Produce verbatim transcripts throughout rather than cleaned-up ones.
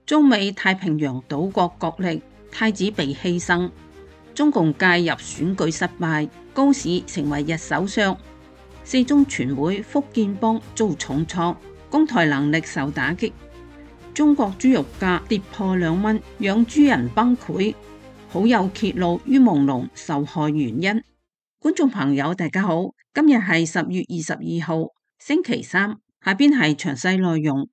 中美太平洋島國角力，太子被犧牲，中共介入選舉失敗，高市成為日首相。四中全會福建幫遭重創，攻台能力受打擊。中國豬肉價跌破兩蚊，養豬人崩潰。好友揭露於朦朧受害原因。觀眾朋友大家好，今日係十月二十二號星期三，下邊係詳細內容。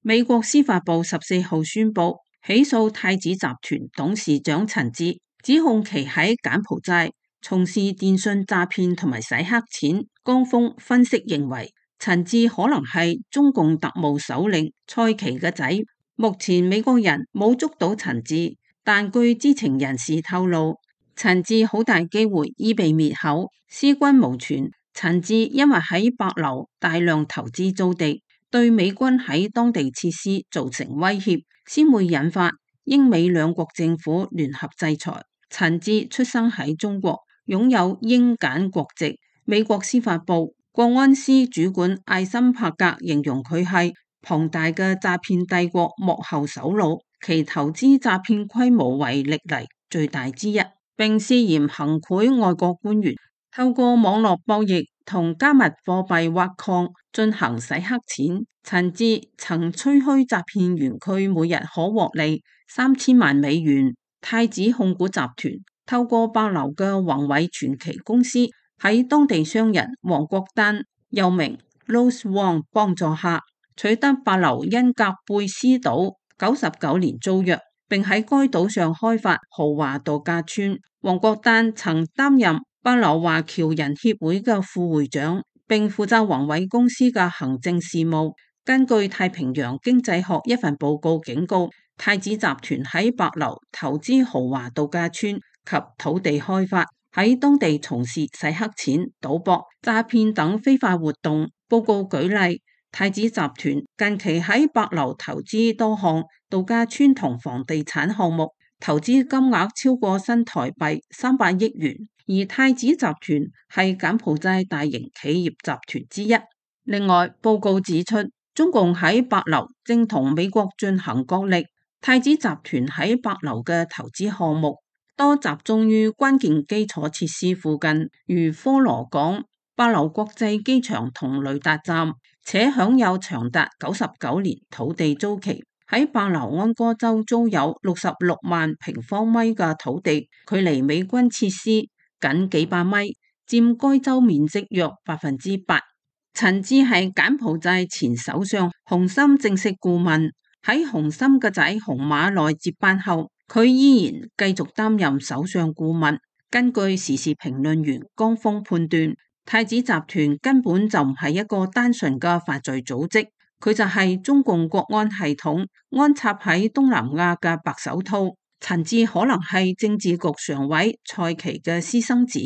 美國司法部十四號宣布起訴太子集團董事長陳志，指控其喺柬埔寨從事電信詐騙同埋洗黑錢。江峰分析認為，陳志可能係中共特務首領蔡奇嘅仔。目前美國人冇捉到陳志，但據知情人士透露，陳志好大機會已被滅口，屍骨無存。陳志因為喺帛琉大量投資租地，對美軍喺當地設施造成威脅，先會引發英美兩國政府聯合制裁。陳志出生喺中國，擁有英柬國籍。美國司法部國安司主管艾森柏格形容佢係龐大嘅詐騙帝國幕後首腦，其投資詐騙規模為歷嚟最大之一，並涉嫌行賄外國官員，透過網絡博弈同加密貨幣挖礦進行洗黑錢。陳志曾吹噓詐騙園區每日可獲利三千萬美元。太子控股集團透過帛琉嘅宏偉傳奇公司，喺當地商人黃國丹又名 Rose Wong 幫助下，取得帛琉恩格貝斯島九十九年租約，並喺該島上開發豪華度假村。黃國丹曾擔任帛琉華僑人協會嘅副會長，並負責宏偉公司嘅行政事務。根據太平洋經濟學一份報告警告，太子集團喺帛琉投資豪華度假村及土地開發，喺當地從事洗黑錢、賭博、詐騙等非法活動。報告舉例，太子集團近期喺帛琉投資多項度假村同房地產項目，投資金額超過新台幣三百億元。而太子集團係柬埔寨大型企業集團之一。另外，報告指出，中共喺帛琉正同美國進行角力。太子集團喺帛琉嘅投資項目多集中於關鍵基礎設施附近，如科羅港、帛琉國際機場同雷達站，且享有長達九十九年土地租期。喺帛琉安哥州租有六十六萬平方米嘅土地，距離美軍設施僅幾百米，佔該州面積約百分之八。陳志係柬埔寨前首相洪森正式顧問，喺洪森嘅仔洪馬內接班後，佢依然繼續擔任首相顧問。根據時事評論員江峰判斷，太子集團根本就唔係一個單純嘅犯罪組織，佢就係中共國安系統安插喺東南亞嘅白手套。陳志可能係政治局常委蔡奇嘅私生子，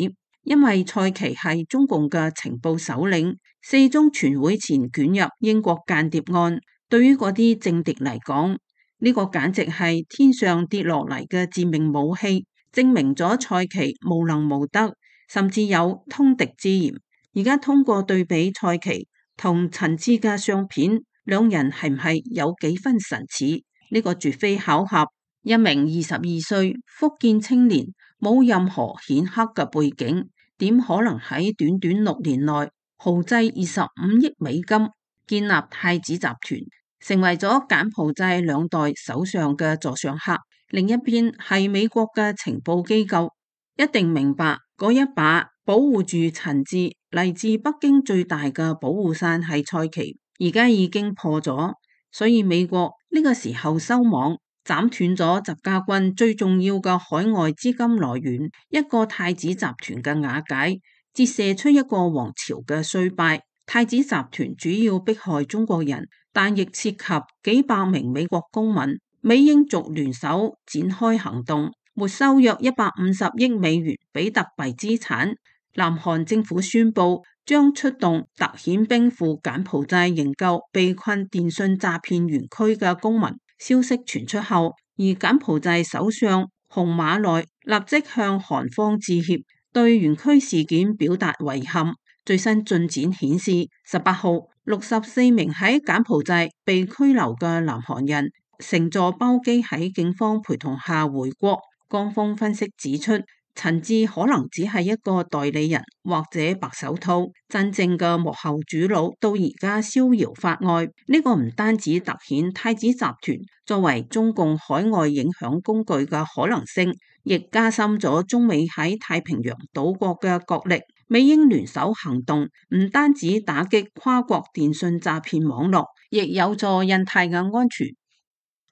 因為蔡奇係中共嘅情報首領。四中全會前捲入英國間諜案，對於嗰啲政敵嚟講，呢個簡直係天上跌落嚟嘅致命武器，證明咗蔡奇無能無德，甚至有通敵之嫌。而家通過對比蔡奇同陳志嘅相片，兩人係唔係有幾分神似？呢個絕非巧合。一名二十二歲福建青年，冇任何顯赫嘅背景，點可能喺短短六年內豪製二十五億美金建立太子集團，成為咗柬埔寨兩代首相嘅座上客？另一邊係美國嘅情報機構，一定明白嗰一把保護住陳志嚟自北京最大嘅保護傘係蔡奇，而家已經破咗，所以美國呢個時候收網，斬斷咗習家軍最重要嘅海外資金來源，一個太子集團嘅瓦解，折射出一個王朝嘅衰敗。太子集團主要迫害中國人，但亦涉及幾百名美國公民。美英族聯手展開行動，沒收約一百五十億美元比特幣資產。南韓政府宣布將出動特遣兵赴柬埔寨營救被困電信詐騙園區嘅公民。消息傳出後，而柬埔寨首相洪馬內立即向韓方致歉，對園區事件表達遺憾。最新進展顯示，十八號六十四名喺柬埔寨被拘留嘅南韓人乘坐包機喺警方陪同下回國。官方分析指出，陳志可能只係一個代理人或者白手套，真正嘅幕後主腦到而家逍遙法外。呢、這個唔單止凸顯太子集團作為中共海外影響工具嘅可能性，亦加深咗中美喺太平洋島國嘅角力。美英聯手行動唔單止打擊跨國電信詐騙網絡，亦有助印太嘅安全。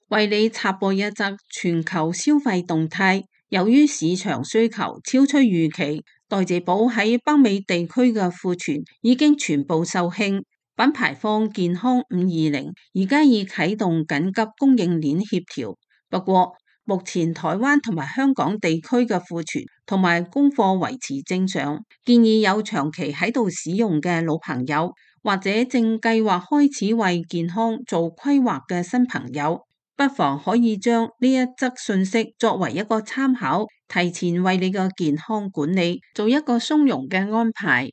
為你插播一則全球消費動態，由於市場需求超出預期，代謝寶喺北美地區嘅庫存已經全部售罄。品牌方健康五二零而家已啟動緊急供應鏈協調，不過目前台灣同埋香港地區嘅庫存同埋供貨維持正常，建議有長期喺度使用嘅老朋友，或者正計劃開始為健康做規劃嘅新朋友，不妨可以將呢一則信息作為一個參考，提前為你嘅健康管理做一個鬆容嘅安排。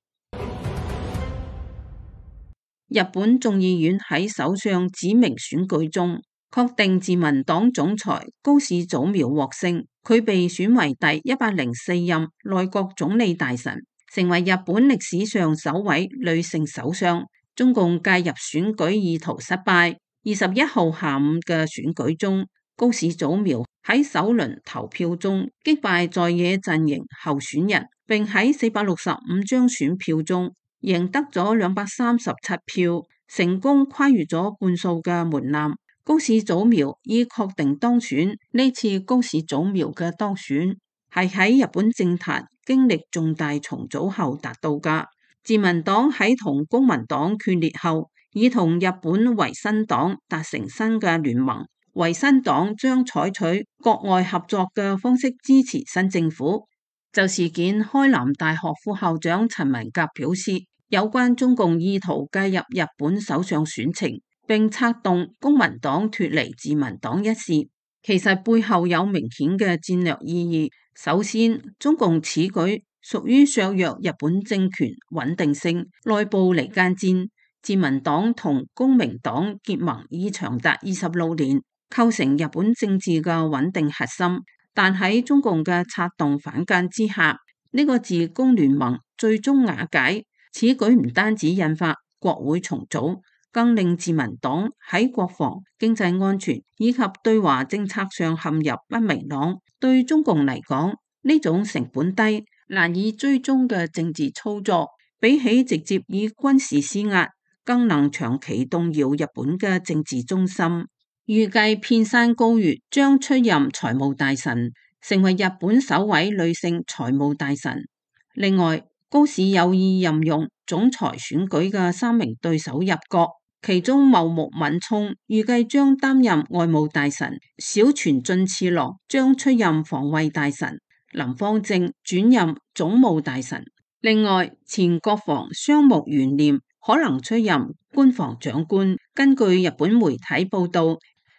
日本眾議院喺首相指名選舉中確定自民黨總裁高市早苗獲勝，佢被選為第一百零四任內閣總理大臣，成為日本歷史上首位女性首相。中共介入選舉意圖失敗。二十一號下午嘅選舉中，高市早苗喺首輪投票中擊敗在野陣營候選人，並喺四百六十五張選票中贏得咗兩百三十七票，成功跨越咗半數嘅門檻。高市早苗已確定當選。呢次高市早苗嘅當選係喺日本政壇經歷重大重組後達到㗎。自民黨喺同公民黨決裂後，已同日本維新黨達成新嘅聯盟。維新黨將採取國外合作嘅方式支持新政府。就事件，開南大學副校長陳文革表示，有關中共意圖介入日本首相選情，並策動公民黨脫離自民黨一事，其實背後有明顯嘅戰略意義。首先，中共此舉屬於削弱日本政權穩定性，內部離間戰。自民黨同公民黨結盟已長達二十六年，構成日本政治嘅穩定核心。但喺中共嘅策動反間之下，呢、這個自公聯盟最終瓦解。此舉唔單止引發國會重組，更令自民黨喺國防、經濟安全以及對華政策上陷入不明朗。對中共嚟講，呢種成本低、難以追蹤嘅政治操作，比起直接以軍事施壓，更能長期動搖日本嘅政治中心。預計片山高月將出任財務大臣，成為日本首位女性財務大臣。另外，高市有意任用總裁選舉嘅三名對手入閣，其中茂木敏充預計將擔任外務大臣，小泉進次郎將出任防衛大臣，林芳正轉任總務大臣。另外，前國防商務元念可能出任官房長官。根據日本媒體報道，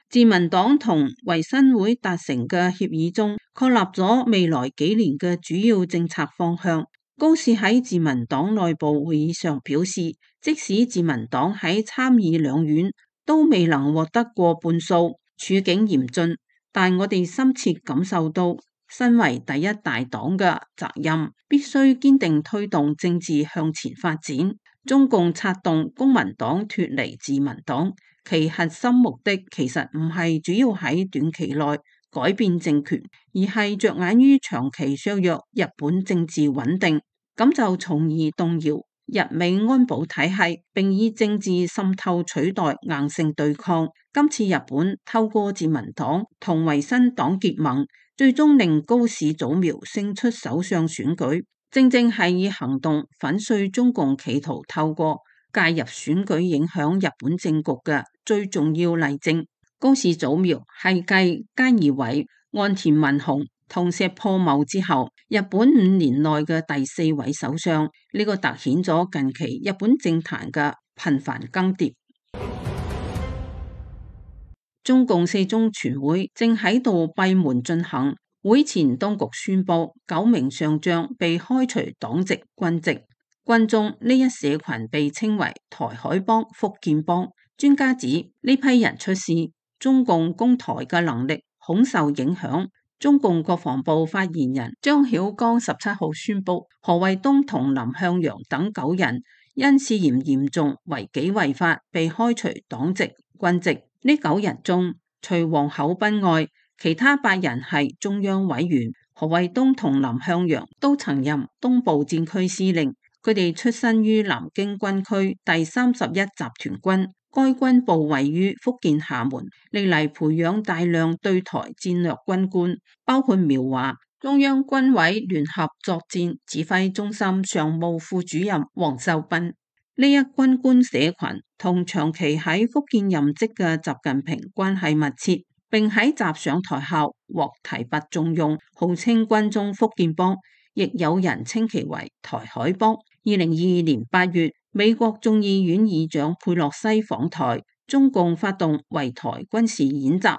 自民黨同維新會達成嘅協議中，確立咗未來幾年嘅主要政策方向。高市喺自民黨內部會議上表示，即使自民黨喺參議兩院都未能獲得過半數，處境嚴峻，但我哋深切感受到身為第一大黨嘅責任，必須堅定推動政治向前發展。中共策動公民黨脫離自民黨，其核心目的其實唔係主要喺短期內改變政權，而係着眼於長期削弱日本政治穩定，咁就從而動搖日美安保體系，並以政治滲透取代硬性對抗。今次日本透過自民黨同維新黨結盟，最終令高市早苗勝出首相選舉，正正係以行動粉碎中共企圖透過介入選舉影響日本政局嘅最重要例證。高市早苗係繼菅義偉、岸田文雄同石破茂之後，日本五年內嘅第四位首相。呢、這個凸顯咗近期日本政壇嘅頻繁更迭。中共四中全會正喺度閉門進行，會前當局宣布九名上將被開除黨籍軍籍。軍中呢一社群被稱為台海幫、福建幫。專家指呢批人出事，中共攻台嘅能力恐受影響。中共國防部發言人張曉剛十七號宣布，何衛東同林向陽等九人因涉嫌嚴重違紀違法被開除黨籍、軍籍。呢九人中，除黃厚斌外，其他八人係中央委員。何衛東同林向陽都曾任東部戰區司令，佢哋出身於南京軍區第三十一集團軍。該軍部位於福建廈門，歷嚟培養大量對台戰略軍官，包括苗華、中央軍委聯合作戰指揮中心常務副主任黃秀斌。呢一軍官社群同長期喺福建任職嘅習近平關係密切，並喺習上台後獲提拔重用，號稱軍中福建幫，亦有人稱其為台海幫。二零二二年八月，美國眾議院議長佩洛西訪台，中共發動圍台軍事演習。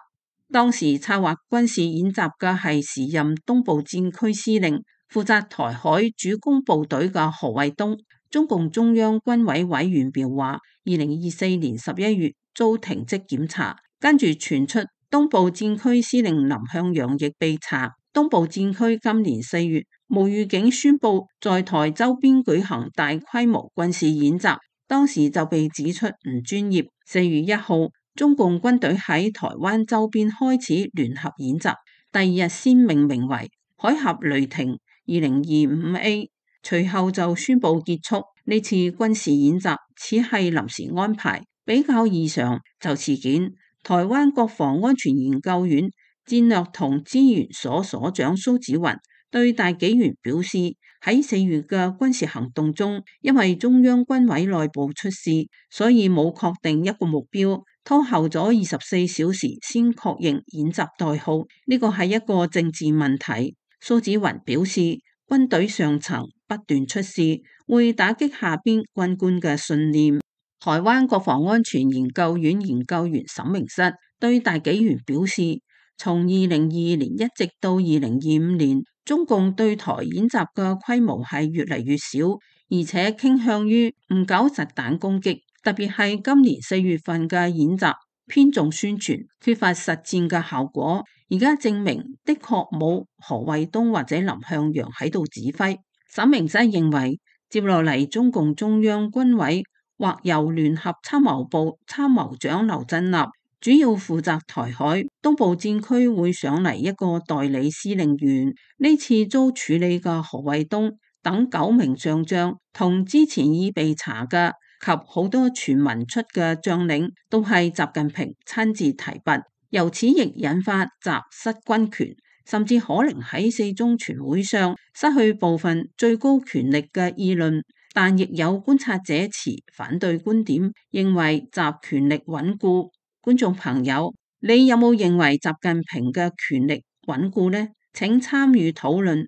當時策劃軍事演習嘅係時任東部戰區司令、負責台海主攻部隊嘅何衛東。中共中央軍委委員表話，二零二四年十一月遭停職檢查，跟住傳出東部戰區司令林向陽亦被查。東部戰區今年四月無預警宣布在台周邊舉行大規模軍事演習，當時就被指出唔專業。四月一號，中共軍隊喺台灣周邊開始聯合演習，第二日先命名為海峽雷霆二零二五 A， 隨後就宣布結束。呢次軍事演習似係臨時安排，比較異常就事件。台灣國防安全研究院戰略同資源所所長蘇紫雲對大紀元表示，喺四月嘅軍事行動中，因為中央軍委內部出事，所以冇確定一個目標，拖後咗二十四小時先確認演習代號。呢個係一個政治問題。蘇紫雲表示，軍隊上層不斷出事，會打擊下邊軍官嘅信念。台灣國防安全研究院研究員沈明室對大紀元表示，從二零二二年一直到二零二五年，中共對台演習嘅規模係越嚟越少，而且傾向於唔搞實彈攻擊，特別係今年四月份嘅演習偏重宣傳，缺乏實戰嘅效果。而家證明的確冇何衛東或者林向陽喺度指揮。沈明室認為，接落嚟中共中央軍委或由聯合參謀部參謀長劉振立主要負責台海，東部戰區會上嚟一個代理司令員。呢次遭處理嘅何衛東等九名上將，同之前已被查嘅及好多傳聞出嘅將領，都係習近平親自提拔，由此亦引發習失軍權，甚至可能喺四中全會上失去部分最高權力嘅議論。但亦有觀察者持反對觀點，認為習權力穩固。觀眾朋友，你有冇認為習近平嘅權力穩固呢？請參與討論。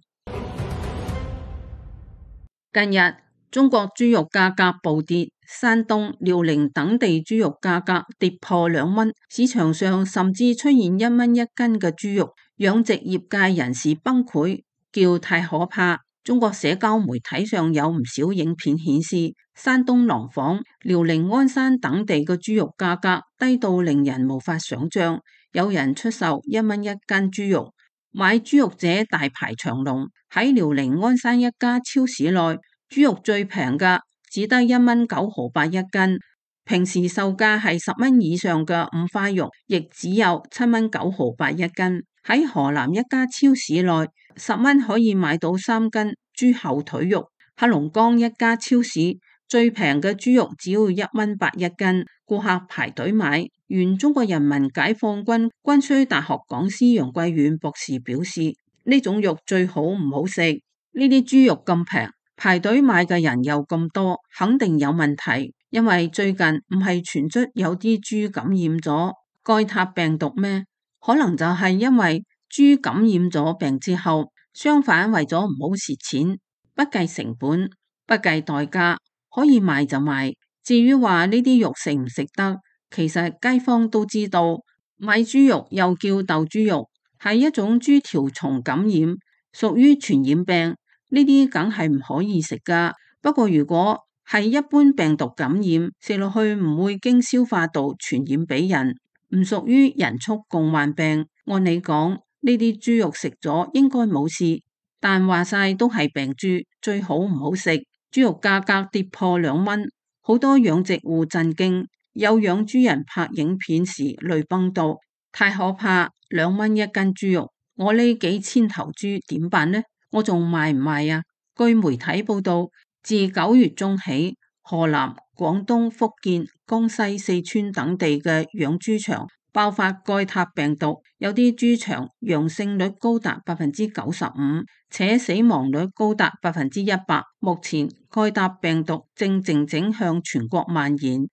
近日中國豬肉價格暴跌，山東、遼寧等地豬肉價格跌破兩蚊，市場上甚至出現一蚊一斤嘅豬肉，養殖業界人士崩潰，叫太可怕。中國社交媒體上有唔少影片顯示，山東廊坊、遼寧鞍山等地嘅豬肉價格低到令人無法想象，有人出售一蚊一斤豬肉，買豬肉者大排長龍。喺遼寧鞍山一家超市內，豬肉最平嘅只得一蚊九毫八一斤，平時售價係十蚊以上嘅五花肉，亦只有七蚊九毫八一斤。喺河南一家超市內，十蚊可以買到三斤豬後腿肉。黑龍江一家超市最平嘅豬肉只要一蚊八一斤，顧客排隊買。原中國人民解放軍軍需大學講師楊貴遠博士表示，呢種肉最好唔好食，呢啲豬肉咁平，排隊買嘅人又咁多，肯定有問題。因為最近唔係傳出有啲豬感染咗蓋塔病毒咩？可能就係因為豬感染咗病之後，相反為咗唔好蝕錢，不計成本，不計代價，可以賣就賣。至於話呢啲肉食唔食得，其實街坊都知道，買豬肉又叫鬥豬肉，係一種豬條蟲感染，屬於傳染病，呢啲梗係唔可以食噶。不過如果係一般病毒感染，食落去唔會經消化道傳染俾人，唔屬於人畜共患病。按理講，呢啲豬肉食咗應該冇事，但話晒都係病豬，最好唔好食。豬肉價格跌破兩蚊，好多養殖戶震驚，有養豬人拍影片時淚崩到，太可怕！兩蚊一斤豬肉，我呢幾千頭豬點辦呢？我仲賣唔賣啊？據媒體報道，自九月中起，河南、廣東、福建、江西、四川等地嘅養豬場爆發蓋塔病毒，有啲豬場陽性率高達百分之九十五，且死亡率高達百分之一百。目前蓋塔病毒正靜靜向全國蔓延。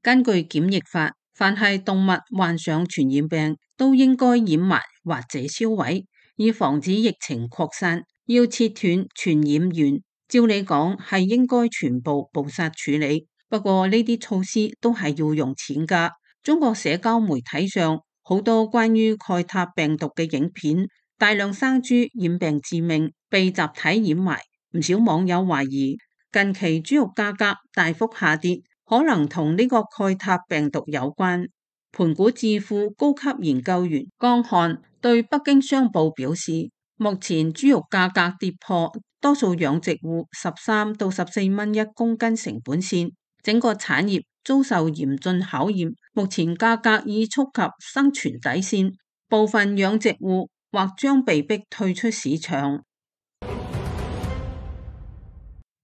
根據檢疫法，凡係動物患上傳染病，都應該掩埋或者銷毀，以防止疫情擴散。要切斷傳染源，照理講係應該全部捕殺處理。不過呢啲措施都係要用錢㗎。中國社交媒體上好多關於蓋塔病毒嘅影片，大量生豬染病致命，被集體掩埋。唔少網友懷疑近期豬肉價格大幅下跌，可能同呢個蓋塔病毒有關。盤古智庫高級研究員江漢對北京商報表示，目前豬肉價格跌破多數養殖戶十三到十四蚊一公斤成本線，整個產業遭受嚴峻考驗。目前價格已觸及生存底線，部分養殖戶或將被迫退出市場。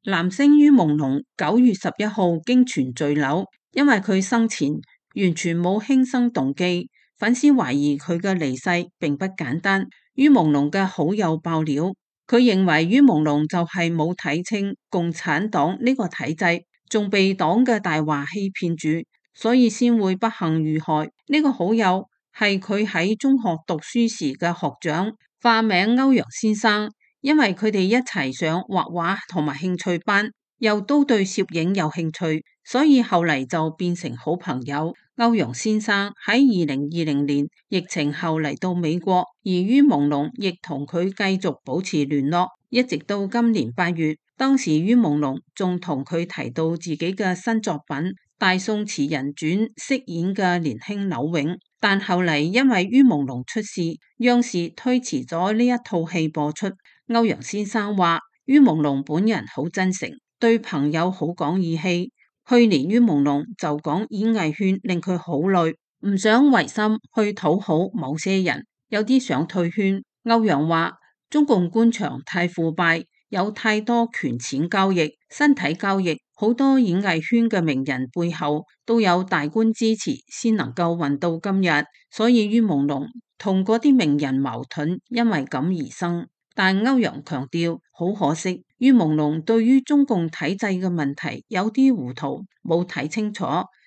男星于朦朧九月十一號經傳墜樓，因為佢生前完全冇輕生動機，粉絲懷疑佢嘅離世並不簡單。于朦朧嘅好友爆料，佢認為于朦朧就係冇睇清共產黨呢個體制，仲被黨嘅大話欺騙住，所以先會不幸遇害。呢、這個好友係佢喺中學讀書時嘅學長，化名歐陽先生。因為佢哋一齊上畫畫同埋興趣班，又都對攝影有興趣，所以後嚟就變成好朋友。歐陽先生喺二零二零年疫情後嚟到美國，而于朦朧亦同佢繼續保持聯絡，一直到今年八月。當時于朦朧仲同佢提到自己嘅新作品《大宋詞人傳》飾演嘅年輕柳永，但後嚟因為于朦朧出事，央視推遲咗呢一套戲播出。歐陽先生話，于朦朧本人好真誠，對朋友好講義氣。去年于朦朧就講演藝圈令佢好累，唔想違心去討好某些人，有啲想退圈。歐陽話，中共官場太腐敗，有太多權錢交易、身體交易，好多演藝圈嘅名人背後都有大官支持，先能夠混到今日。所以于朦朧同嗰啲名人矛盾，因為咁而生。但歐陽強調，好可惜，于朦朧對於中共體制嘅問題有啲糊塗，冇睇清楚，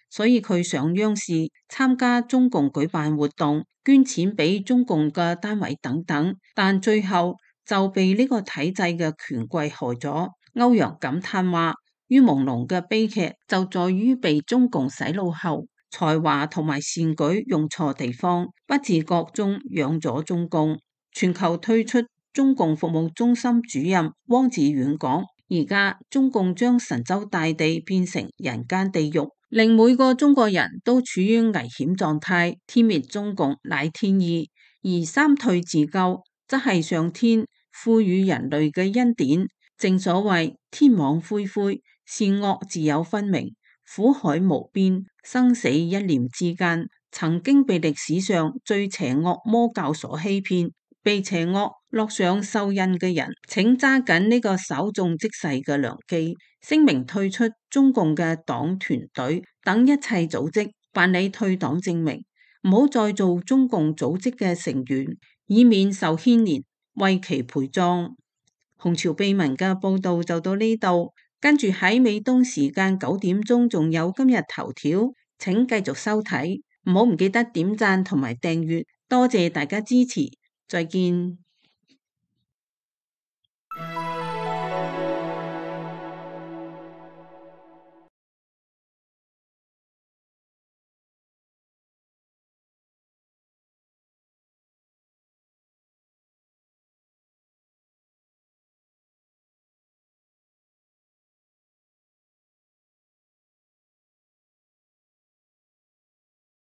所以佢上央視參加中共舉辦活動，捐錢俾中共嘅單位等等，但最後就被呢個體制嘅權貴害咗。歐陽感嘆話，于朦朧嘅悲劇就在於被中共洗腦後，才華同埋善舉用錯地方，不自覺中養咗中共。全球退出中共服務中心主任汪志遠講，而家中共將神州大地變成人間地獄，令每個中國人都處於危險狀態。天滅中共乃天意，而三退自救則係上天賦予人類嘅恩典。正所謂天網恢恢，善惡自有分明，苦海無邊，生死一念之間。曾經被歷史上最邪惡魔教所欺騙，被邪惡落上獸印嘅人，請揸緊呢個稍縱即逝嘅良機，聲明退出中共嘅黨團隊等一切組織，辦理退黨證明，唔好再做中共組織嘅成員，以免受牽連，為其陪葬。紅潮秘聞嘅報道就到呢度，跟住喺美東時間九點鐘仲有今日頭條，請繼續收睇，唔好唔記得點讚同埋訂閱，多謝大家支持。再見。